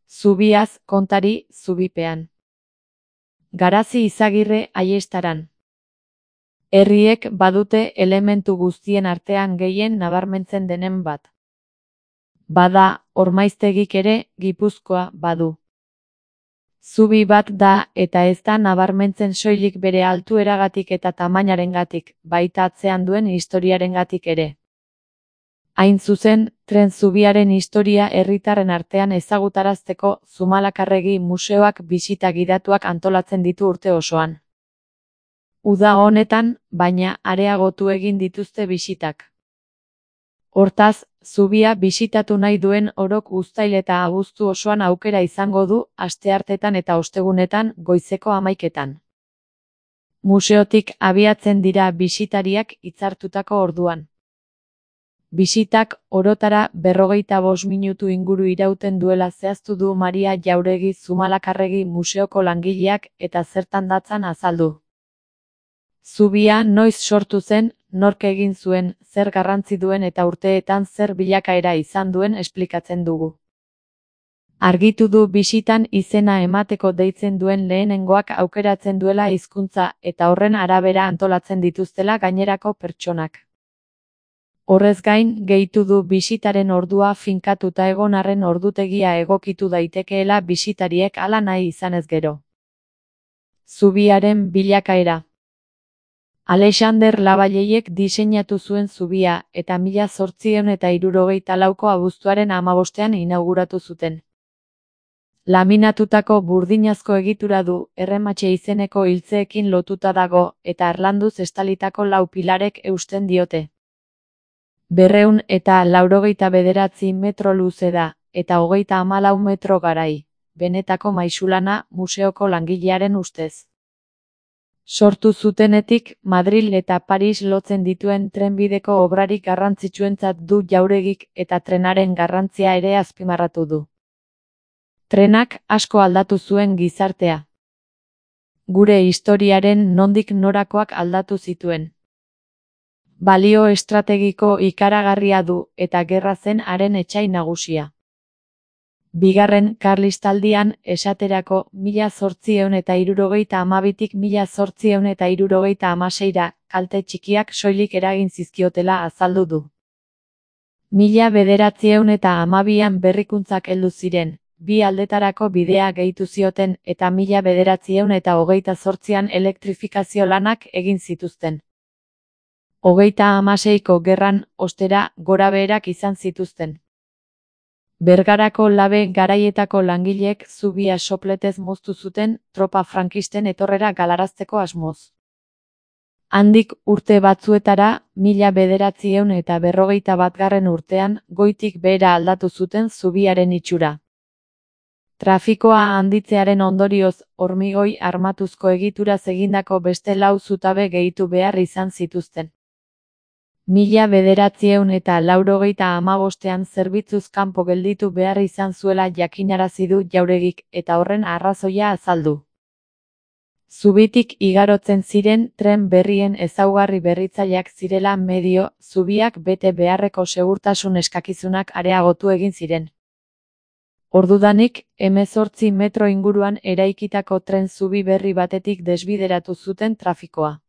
Zubiaz kontari zubipean. Garazi Izagirre Aiestaran. Herriek badute elementu guztien artean gehien nabarmentzen denen bat. Bada, Ormaiztegik ere Gipuzkoa badu. Zubi bat da eta ez da nabarmentzen soilik bere altueragatik eta tamainarengatik, baita atzean duen historiarengatik ere. Hain zuzen, tren zubiaren historia herritarren artean ezagutarazteko Zumalakarregi museoak bisita gidatuak antolatzen ditu urte osoan. Uda honetan, baina areagotu egin dituzte bisitak. Hortaz, zubia bisitatu nahi duen orok uztail eta abuztu osoan aukera izango du asteartetan eta ostegunetan goizeko 11etan. Museotik abiatzen dira bisitariak hitzartutako orduan. Bisitak orotara 45 minutu inguru irauten duela zehaztu du Maria Jauregi Zumalakarregi museoko langileak eta zertan datzan azaldu. Zubia noiz sortu zen, nork egin zuen, zer garrantzi duen eta urteetan zer bilakaera izan duen esplikatzen dugu. Argitu du bisitan izena emateko deitzen duen lehenengoak aukeratzen duela hizkuntza eta horren arabera antolatzen dituztela gainerako pertsonak. Horrez gain, gehitu du bisitaren ordua finkatuta egon arren ordutegia egokitu daitekeela bisitariek hala nahi izanez gero. Zubiaren bilakaera. Alexander Lavalleiek diseinatu zuen zubia eta 1864ko abuztuaren 15ean inauguratu zuten. Laminatutako burdinazko egitura du, errematxe izeneko hiltzeekin lotuta dago eta harlanduz estalitako 4 pilarek eusten diote. 289 metro luze da, eta 34 metro garai, benetako maisulana museoko langilearen ustez. Sortu zutenetik, Madril eta Paris lotzen dituen trenbideko obrarik garrantzitsuentzat du Jauregik eta trenaren garrantzia ere azpimarratu du. Trenak asko aldatu zuen gizartea. Gure historiaren nondik norakoak aldatu zituen. Balio estrategiko ikaragarria du eta gerra zen haren etsai nagusia. Bigarren Karlistaldian, esaterako, 1872tik 1876ra, kalte txikiak soilik eragin zizkiotela azaldu du. 1912an berrikuntzak heldu ziren, bi aldetarako bidea gehitu zioten eta 1928an elektrifikazio lanak egin zituzten. 36ko gerran, ostera, gorabeherak izan zituzten. Bergarako labe garaietako langileek zubia sopletez moztu zuten tropa frankisten etorrera galarazteko asmoz. Handik urte batzuetara, 1941 urtean, goitik behera aldatu zuten zubiaren itxura. Trafikoa handitzearen ondorioz, hormigoi armatuzko egituraz egindako beste 4 zutabe gehitu behar izan zituzten. 1985ean zerbitzuz kanpo gelditu behar izan zuela jakinarazi du Jauregik eta horren arrazoia azaldu. Zubitik igarotzen ziren tren berrien ezaugarri berritzaileak zirela medio, zubiak bete beharreko segurtasun eskakizunak areagotu egin ziren. Ordudanik, 18 metro inguruan eraikitako tren zubi berri batetik desbideratu zuten trafikoa.